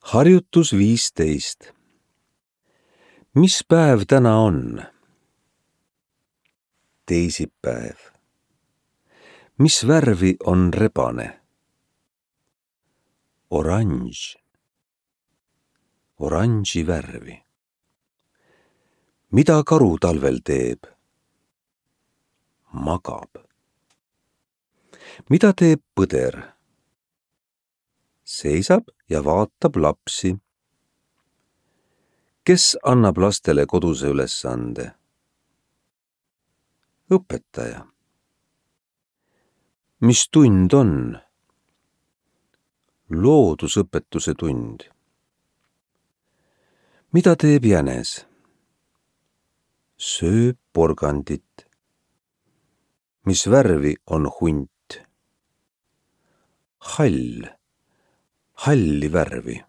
Harjutus 15. Mis päev täna on? Teisipäev. Mis värvi on rebane? Oranž. Oranži värvi. Mida karu talvel teeb? Magab. Mida teeb põder? Seisab ja vaatab lapsi. Kes annab lastele koduse ülesande? Õpetaja. Mis tund on? Loodusõpetuse tund. Mida teeb jänes? Sööb porgandit. Mis värvi on hunt? Hall. Halli värvi.